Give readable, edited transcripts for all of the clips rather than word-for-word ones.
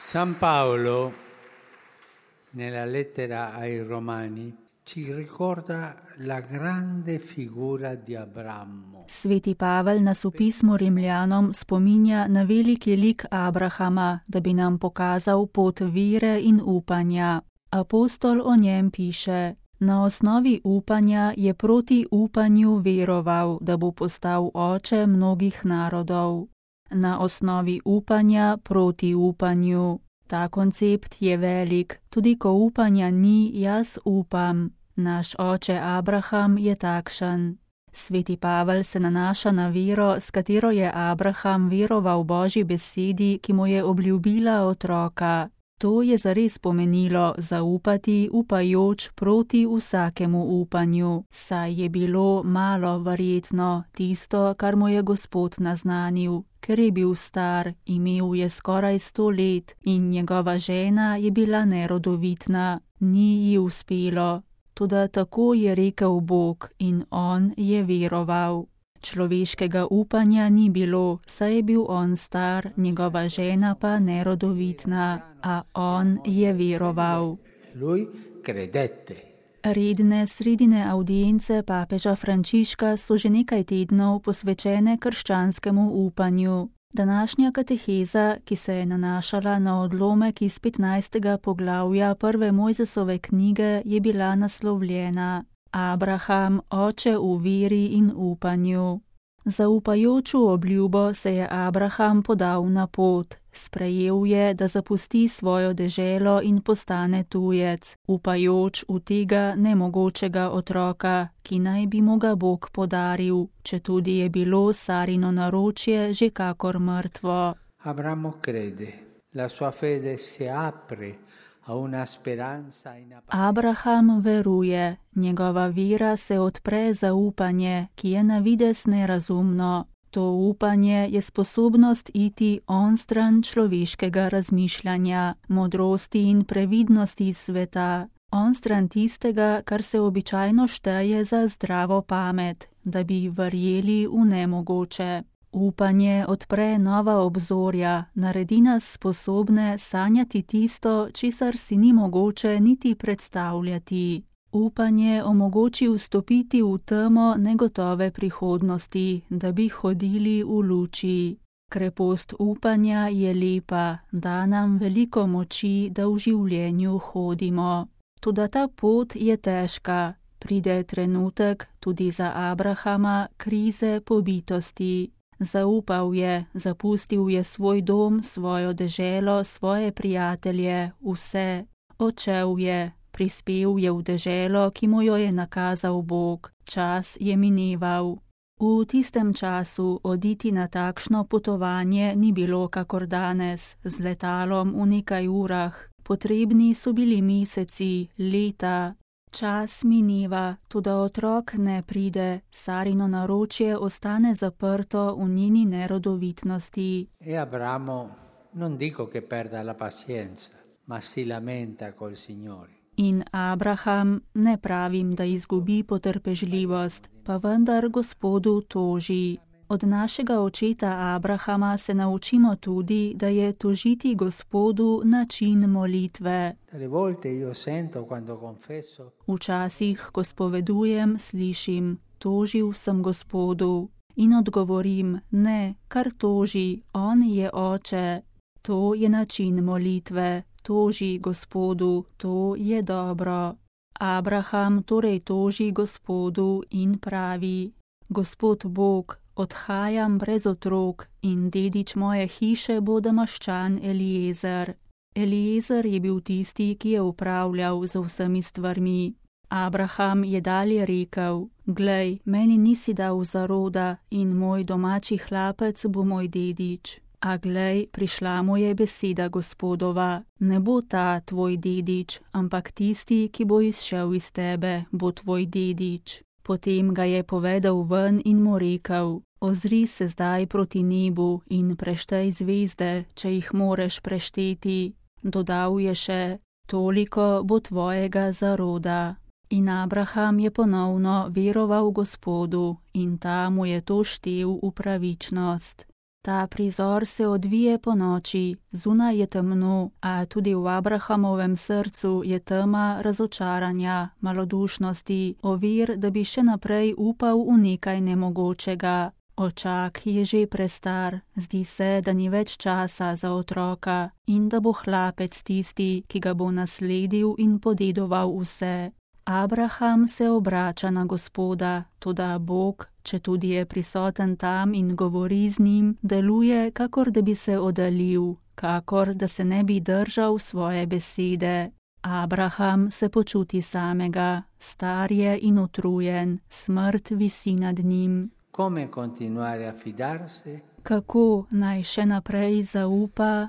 San Paolo, nella lettera ai Romani, ci ricorda la grande figura di Abramo. Sveti Pavel nas v pismu Rimljanom spominja na veliki lik Abrahama, da bi nam pokazal pot vere in upanja. Apostol o njem piše: na osnovi upanja je proti upanju veroval, da bo postal oče mnogih narodov. Na osnovi upanja proti upanju. Ta koncept je velik, tudi ko upanja ni, jaz upam. Naš oče Abraham je takšen. Sveti Pavel se nanaša na vero, s katero je Abraham veroval Božji besedi, ki mu je obljubila otroka. To je zares pomenilo zaupati upajoč proti vsakemu upanju, saj je bilo malo verjetno tisto, kar mu je Gospod naznanil, ker je bil star, imel je skoraj 100 let in njegova žena je bila nerodovitna, ni ji uspelo. Toda tako je rekel Bog in on je veroval. Človeškega upanja ni bilo, saj je bil on star, njegova žena pa nerodovitna, a on je veroval. Lui credette. Redne sredine avdience papeža Frančiška so že nekaj tednov posvečene krščanskemu upanju. Današnja kateheza, ki se je nanašala na odlomek iz 15. poglavja prve Mojzesove knjige, je bila naslovljena Abraham, oče v veri in upanju. Za upajoču obljubo se je Abraham podal na pot. Sprejel je, da zapusti svojo deželo in postane tujec, upajoč v tega nemogočega otroka, ki naj bi mu ga Bog podaril, četudi je bilo Sarino naročje že kakor mrtvo. Abramo crede, la sua fede si apre a una speranza Abraham veruje, njegova vera se odpre za upanje, ki je na vides nerazumno. To upanje je sposobnost iti onstran človeškega razmišljanja, modrosti in previdnosti sveta, onstran tistega, kar se običajno šteje za zdravo pamet, da bi verjeli v nemogoče. Upanje odpre nova obzorja, naredi nas sposobne sanjati tisto, česar si ni mogoče niti predstavljati. Upanje omogoči vstopiti v temo negotove prihodnosti, da bi hodili v luči. Krepost upanja je lepa, da nam veliko moči, da v življenju hodimo. Toda ta pot je težka. Pride trenutek, tudi za Abrahama, krize pobitosti. Zaupal je, zapustil je svoj dom, svojo deželo, svoje prijatelje, vse. Odšel je. Prispel je v deželo, ki mu jo je nakazal Bog. Čas je mineval. V tistem času oditi na takšno potovanje ni bilo kakor danes, z letalom v nekaj urah. Potrebni so bili meseci, leta. Čas mineva, toda otrok ne pride, Sarino naročje ostane zaprto v njeni nerodovitnosti. E Abramo, non dico che perda la pazienza, ma si lamenta col Signore. In Abraham, ne pravim, da izgubi potrpežljivost, pa vendar Gospodu toži. Od našega očeta Abrahama se naučimo tudi, da je tožiti Gospodu način molitve. Včasih, ko spovedujem, slišim, tožil sem Gospodu. In odgovorim, ne, kar toži, on je oče. To je način molitve. Toži Gospodu, to je dobro. Abraham torej toži Gospodu in pravi: Gospod Bog, odhajam brez otrok in dedič moje hiše bo Damaščan Eliezer. Eliezer je bil tisti, ki je upravljal z vsemi stvarmi. Abraham je dalje rekel: Glej, meni nisi dal zaroda in moj domači hlapec bo moj dedič. A glej, prišla mu je beseda Gospodova, ne bo ta tvoj dedič, ampak tisti, ki bo izšel iz tebe, bo tvoj dedič. Potem ga je povedal ven in mu rekel: Ozri se zdaj proti nebu in preštej zvezde, če jih moreš prešteti. Dodal je še: Toliko bo tvojega zaroda. In Abraham je ponovno veroval Gospodu in ta mu je to štel v pravičnost. Ta prizor se odvije po noči, zunaj je temno, a tudi v Abrahamovem srcu je tema razočaranja, malodušnosti, ovir, da bi še naprej upal v nekaj nemogočega. Očak je že prestar, zdi se, da ni več časa za otroka in da bo hlapec tisti, ki ga bo nasledil in podedoval vse. Abraham se obrača na Gospoda, toda Bog, četudi je prisoten tam in govori z njim, deluje, kakor da bi se oddaljil, kakor da se ne bi držal svoje besede. Abraham se počuti samega, star je in utrujen, smrt visi nad njim. Kako naj še naprej zaupa?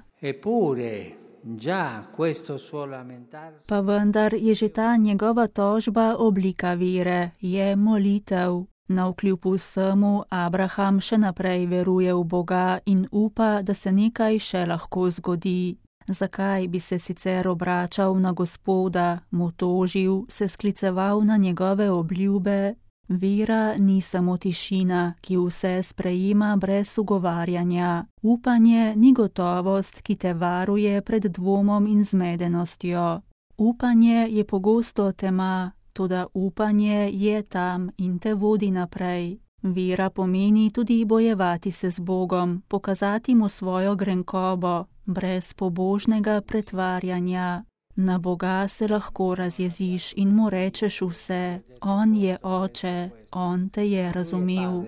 Pa vendar je že ta njegova tožba oblika vere, je molitev. Navkljub vsemu Abraham še naprej veruje v Boga in upa, da se nekaj še lahko zgodi. Zakaj bi se sicer obračal na Gospoda, mu tožil, se skliceval na njegove obljube? Vera ni samo tišina, ki vse sprejema brez ugovarjanja. Upanje ni gotovost, ki te varuje pred dvomom in zmedenostjo. Upanje je pogosto tema, toda upanje je tam in te vodi naprej. Vera pomeni tudi bojevati se z Bogom, pokazati mu svojo grenkobo, brez pobožnega pretvarjanja. Na Boga se lahko razjeziš in mu rečeš vse, on je oče, on te je razumel.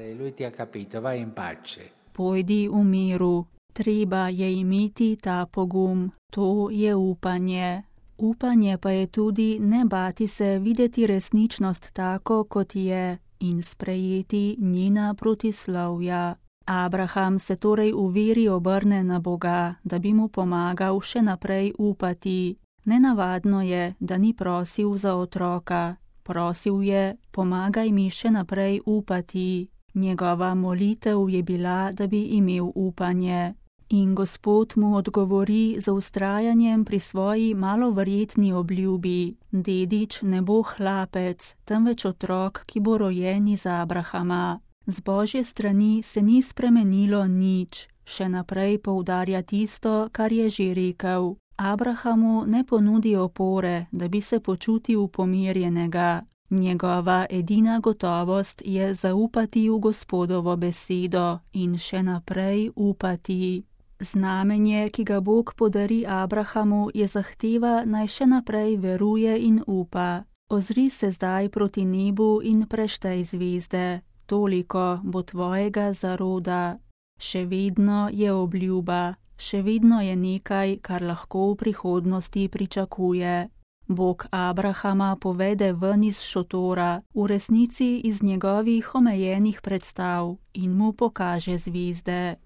Pojdi v miru, treba je imeti ta pogum, to je upanje. Upanje pa je tudi ne bati se videti resničnost tako, kot je, in sprejeti njena protislovja. Abraham se torej v veri obrne na Boga, da bi mu pomagal še naprej upati. Nenavadno je, da ni prosil za otroka. Prosil je, pomagaj mi še naprej upati. Njegova molitev je bila, da bi imel upanje. In Gospod mu odgovori z vztrajanjem pri svoji maloverjetni obljubi. Dedič ne bo hlapec, temveč otrok, ki bo rojen iz Abrahama. Z Božje strani se ni spremenilo nič. Še naprej poudarja tisto, kar je že rekel. Abrahamu ne ponudi opore, da bi se počutil pomirjenega. Njegova edina gotovost je zaupati v Gospodovo besedo in še naprej upati. Znamenje, ki ga Bog podari Abrahamu, je zahteva, naj še naprej veruje in upa. Ozri se zdaj proti nebu in preštej zvezde. Toliko bo tvojega zaroda. Še vedno je obljuba. Še vedno je nekaj, kar lahko v prihodnosti pričakuje. Bog Abrahama povede ven iz šotora, v resnici iz njegovih omejenih predstav in mu pokaže zvezde.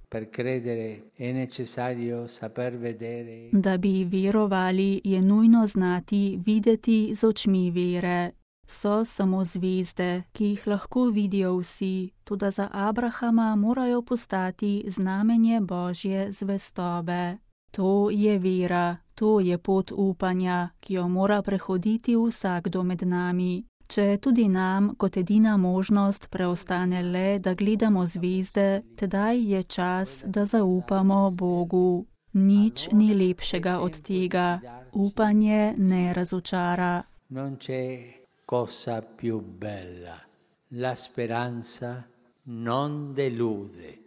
Da bi verovali, je nujno znati videti z očmi vere. So samo zvezde, ki jih lahko vidijo vsi, toda za Abrahama morajo postati znamenje Božje zvestobe. To je vera, to je pot upanja, ki jo mora prehoditi vsakdo med nami. Če tudi nam kot edina možnost preostane le, da gledamo zvezde, tedaj je čas, da zaupamo Bogu. Nič ni lepšega od tega. Upanje ne razočara. Cosa più bella, la speranza non delude.